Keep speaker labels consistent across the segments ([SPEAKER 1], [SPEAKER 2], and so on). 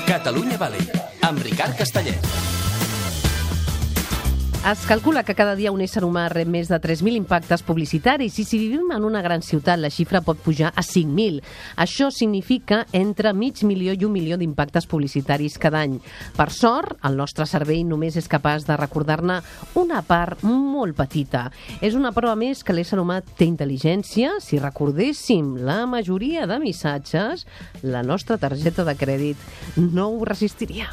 [SPEAKER 1] Catalunya Valley, amb Ricard Castellet.
[SPEAKER 2] Es calcula que cada dia un ésser humà rep més de 3.000 impactes publicitaris i si vivim en una gran ciutat la xifra pot pujar a 5.000. Això significa entre 500.000 i 1 milió d'impactes publicitaris cada any. Per sort, el nostre cervell només és capaç de recordar-ne una part molt petita. És una prova més que l'ésser humà té intel·ligència. Si recordéssim la majoria de missatges, la nostra targeta de crèdit no ho resistiria.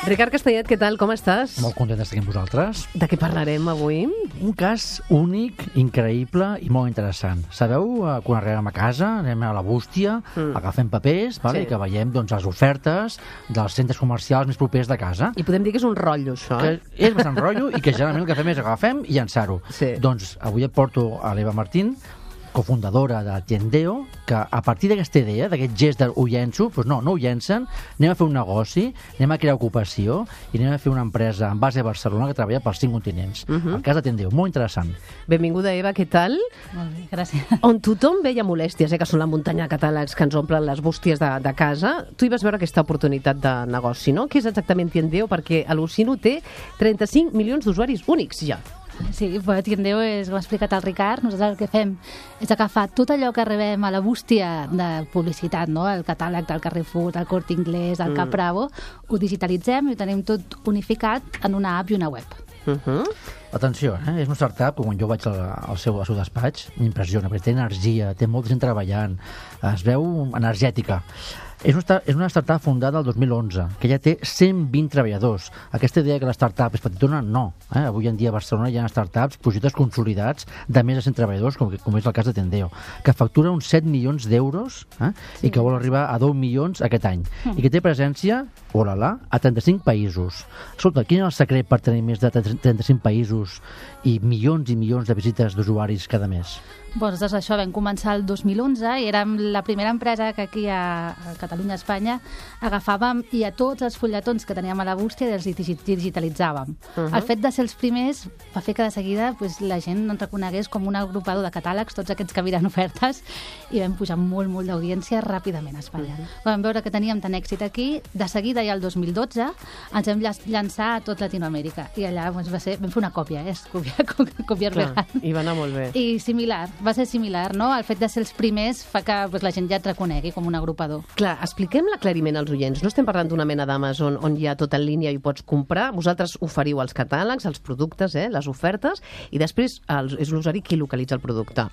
[SPEAKER 2] Ricard Castellet, què tal? Com estàs?
[SPEAKER 3] Molt content d'estar aquí amb vosaltres.
[SPEAKER 2] De què parlarem avui?
[SPEAKER 3] Un cas únic, increïble i molt interessant. Sabeu, quan arribem a casa, anem a la bústia, agafem papers, vale?
[SPEAKER 2] Sí.
[SPEAKER 3] I que veiem les ofertes dels centres comercials més propers de casa.
[SPEAKER 2] I podem dir que és un rotllo, això.
[SPEAKER 3] Que és bastant rotllo i que generalment el que fem és agafem i llançar-ho.
[SPEAKER 2] Sí.
[SPEAKER 3] Doncs avui et porto a l'Eva Martín, cofundadora de Tiendeo, que a partir d'aquesta idea, d'aquest gest de ho llenço, doncs no ho llencen, anem a fer un negoci, anem a crear ocupació i anem a fer una empresa en base a Barcelona que treballa pels 5 continents. El cas de Tiendeo, molt interessant.
[SPEAKER 2] Benvinguda, Eva, què tal?
[SPEAKER 4] Molt bé, gràcies.
[SPEAKER 2] On tothom veia molèsties, que són la muntanya de catàlegs que ens omplen les bústies de casa, tu hi vas veure aquesta oportunitat de negoci, no? Què és exactament Tiendeo? Perquè al·lucino té 35 milions d'usuaris únics ja.
[SPEAKER 4] Sí, però Tiendeo és, com ha explicat el Ricard, nosaltres el que fem és agafar tot allò que rebem a la bústia de publicitat, no? El catàleg del Carrefour, del Corte Inglés, del Cap Bravo, ho digitalitzem i ho tenim tot unificat en una app i una web.
[SPEAKER 3] Atenció, és una startup que quan jo vaig al seu despatx m'impressiona, perquè té energia, té molta gent treballant, es veu energètica. És una startup fundada el 2011, que ja té 120 treballadors. Aquesta idea que la startup és petitona, no. Avui en dia a Barcelona hi ha startups, projectes consolidats de més de 100 treballadors, com és el cas de Tiendeo, que factura uns 7 milions d'euros i que vol arribar a 10 milions aquest any. I que té presència, olala, a 35 països. Escolta, quin és el secret per tenir més de 35 països i milions de visites d'usuaris cada mes?
[SPEAKER 4] Doncs això vam començar el 2011 i érem la primera empresa que aquí a Catalunya, a Espanya, agafàvem i a tots els fulletons que teníem a la bústia els digitalitzàvem. El fet de ser els primers va fer que de seguida la gent ens reconegués com un agrupador de catàlegs, tots aquests que miren ofertes, i vam pujar molt d'audiència ràpidament a Espanya. Vam veure que teníem tant èxit aquí, de seguida ja el 2012 ens vam llançar a tot Latinoamèrica i allà vam fer una còpia, copiar vegant.
[SPEAKER 2] I va anar molt bé.
[SPEAKER 4] I va ser similar, no? El fet de ser els primers fa que la gent ja et reconegui com un agrupador.
[SPEAKER 2] Clar, expliquem l'aclariment als oients. No estem parlant d'una mena d'Amazon on hi ha tot en línia i pots comprar. Vosaltres oferiu els catàlegs, els productes, les ofertes, i després és l'usuari qui localitza el producte.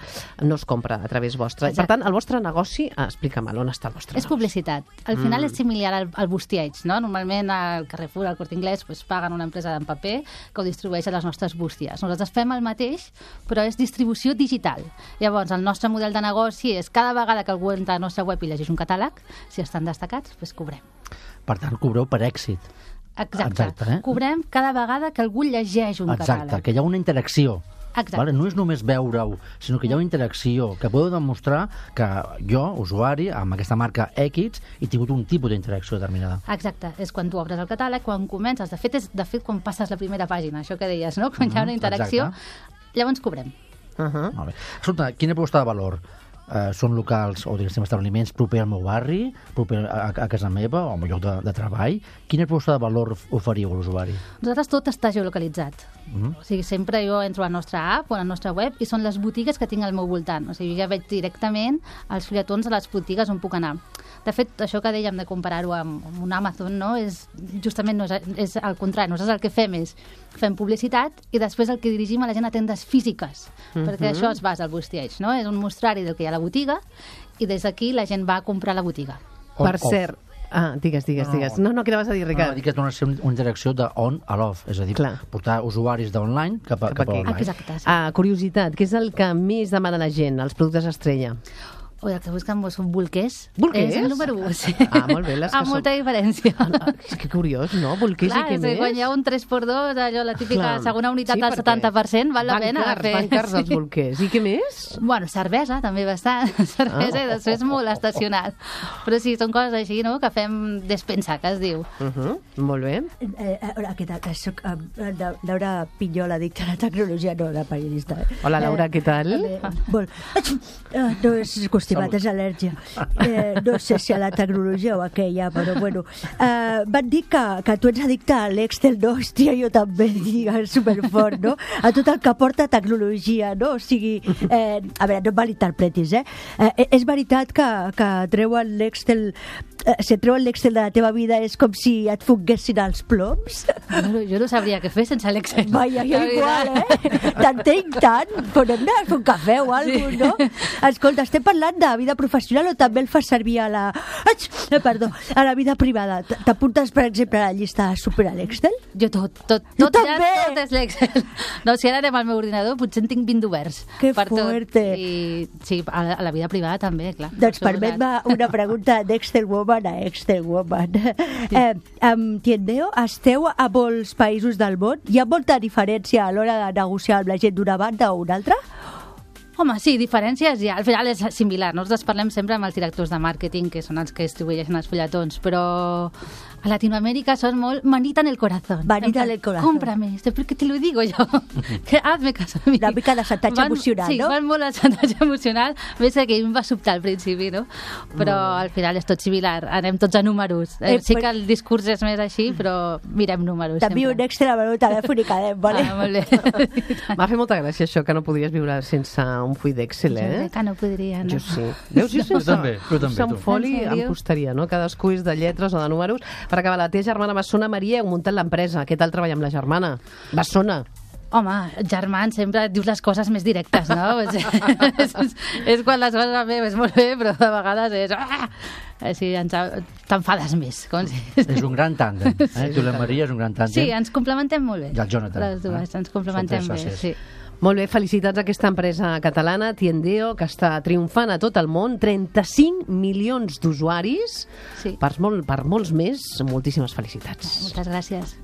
[SPEAKER 2] No es compra a través vostre.
[SPEAKER 4] Exacte.
[SPEAKER 2] Per tant, el vostre negoci, explica'm, on està el vostre negoci?
[SPEAKER 4] És publicitat. Al final és similar al bustieig, no? Normalment al Carrefour, al Corte Inglés, paguen una empresa en paper que ho distribueix a les nostres bústies. Nosaltres fem el mateix, però és distribució digital. Llavors, el nostre model de negoci és cada vegada que algú entra a la nostra web i llegeix un catàleg, si estan destacats, cobrem.
[SPEAKER 3] Per tant, cobreu per èxit.
[SPEAKER 4] Exacte. Cobrem cada vegada que algú llegeix un catàleg.
[SPEAKER 3] Exacte, que hi ha una interacció.
[SPEAKER 4] Exacte.
[SPEAKER 3] Vale? No és només veure-ho, sinó que hi ha una interacció que podeu demostrar que jo, usuari, amb aquesta marca X, he tingut un tipus d'interacció determinada.
[SPEAKER 4] Exacte. És quan tu obres el catàleg, quan comences. De fet, quan passes la primera pàgina, això que deies, no? Quan hi ha una interacció, llavors cobrem.
[SPEAKER 3] Molt bé. Escolta, quina proposta de valor? Són locals o diguéssim establiments proper al meu barri, proper a casa meva o al meu lloc de treball? Quina proposta de valor oferiu a l'usuari?
[SPEAKER 4] Nosaltres tot està geolocalitzat. O sigui, sempre jo entro a la nostra app o a la nostra web i són les botigues que tinc al meu voltant. O sigui, ja veig directament els fulletons a les botigues on puc anar. De fet, això que dèiem de comparar-ho amb un Amazon, no? Justament és al contrari. Nosaltres el que fem publicitat i després el que dirigim a la gent a tendes físiques, perquè això es basa al bustieig, no? És un mostrari del que hi ha a la botiga i des d'aquí la gent va a comprar a la botiga.
[SPEAKER 2] Per cert, digues. No, què anaves a dir, Ricard?
[SPEAKER 3] No, dic que torna a ser una interacció d'on a l'off, és a dir, portar usuaris d'online cap a online.
[SPEAKER 4] Exacte.
[SPEAKER 2] Curiositat, què és el que més demana la gent, els productes estrella?
[SPEAKER 4] O el que busquen són bolquers.
[SPEAKER 2] Bolquers?
[SPEAKER 4] És el número 1, sí.
[SPEAKER 2] Ah, molt bé, les que
[SPEAKER 4] Amb molta diferència.
[SPEAKER 2] És que curiós, no? Bolquers
[SPEAKER 4] Clar,
[SPEAKER 2] i què més?
[SPEAKER 4] quan hi ha un 3x2, allò, la típica
[SPEAKER 2] Clar.
[SPEAKER 4] segona unitat
[SPEAKER 2] Sí,
[SPEAKER 4] del
[SPEAKER 2] perquè
[SPEAKER 4] 70%, val la pena.
[SPEAKER 2] Van cars els bolquers. I què més?
[SPEAKER 4] Bueno, cervesa, també bastant. Cervesa i després molt estacional. Però sí, són coses així, no?, que fem despensa, que es diu.
[SPEAKER 2] Molt bé.
[SPEAKER 5] Hola, què tal? Soc Laura Pinyol, addicta a la tecnologia, no, la periodista.
[SPEAKER 2] Hola, Laura, què tal?
[SPEAKER 5] Molt. No és constipat, és al·lèrgia. No sé si a la tecnologia o a què hi ha, però bueno. Van dir que tu ets addicte a l'Excel, no? Hòstia, jo també, digues, superfort, no? A tot el que porta tecnologia, no? O sigui, a veure, no em malinterpretis, és veritat que treuen l'Excel, si treuen l'Excel de la teva vida és com si et fonguessin els ploms?
[SPEAKER 4] Jo no sabria què fer sense l'Excel.
[SPEAKER 5] Vaja, jo igual, T'entenc tant, però hem d'anar a fer un cafè o alguna cosa, no? Escolta, estem parlant de vida professional o també el fas servir a la... Perdó, a la vida privada. T'apuntes, per exemple, a la llista super a l'Excel?
[SPEAKER 4] Jo tot
[SPEAKER 5] Jo també!
[SPEAKER 4] Tot és l'Excel. No, si ara anem al meu ordinador, potser en tinc 20 oberts.
[SPEAKER 5] Que
[SPEAKER 4] per
[SPEAKER 5] fuerte.
[SPEAKER 4] Tot. I sí, a la vida privada també, clar.
[SPEAKER 5] Doncs permet-me una pregunta d'Excel Woman a Excel Woman. Amb Tiendeo esteu a molts països del món? Hi ha molta diferència a l'hora de negociar amb la gent d'una banda o una altra?
[SPEAKER 4] Home, sí, diferències ja. Al final és similar. Nosaltres parlem sempre amb els directors de màrqueting, que són els que distribueixen els fulletons, però a Latinoamérica son molt manita en el corazón.
[SPEAKER 5] Manita en el corazón.
[SPEAKER 4] Cómprame, porque te lo digo yo. Que hazme caso a mi.
[SPEAKER 5] Una mica de chantatge emocional,
[SPEAKER 4] sí,
[SPEAKER 5] no?
[SPEAKER 4] Sí, van molt al chantatge emocional. Ves que em va sobtar al principi, no? Però al final és tot similar. Anem tots a números. Sí que el discurs és més així, però mirem números.
[SPEAKER 5] També un Excel al meu telèfon i quedem, vale?
[SPEAKER 4] Ah, molt bé.
[SPEAKER 2] M'ha fet molta gràcia això, que no podries viure sense un full d'Excel,
[SPEAKER 4] Jo crec que no podria, no?
[SPEAKER 2] Jo sí. Veus, jo sense,
[SPEAKER 3] també,
[SPEAKER 2] sense un
[SPEAKER 3] tu.
[SPEAKER 2] foli
[SPEAKER 4] En
[SPEAKER 2] em
[SPEAKER 4] sèrio?
[SPEAKER 2] costaria, no? Cadascú és de lletres o de números. Per acabar, la teva germana Bessona, Maria, heu muntat l'empresa. Què tal treballar amb la germana? Bessona.
[SPEAKER 4] Home, germans, sempre et dius les coses més directes, no? és quan les coses van bé, és molt bé, però de vegades és... Així t'enfades més. Com si...
[SPEAKER 3] És un gran tàndem. Tu i la Maria és un gran tàndem.
[SPEAKER 4] Sí, ens complementem molt bé.
[SPEAKER 3] I el Jonathan.
[SPEAKER 4] Les dues, ens complementem
[SPEAKER 3] Són
[SPEAKER 4] bé,
[SPEAKER 3] tres
[SPEAKER 4] sí.
[SPEAKER 2] Molt bé, felicitats a aquesta empresa catalana, Tiendeo, que està triomfant a tot el món, 35 milions d'usuaris,
[SPEAKER 4] Sí.
[SPEAKER 2] per molts més, moltíssimes felicitats.
[SPEAKER 4] Moltes gràcies.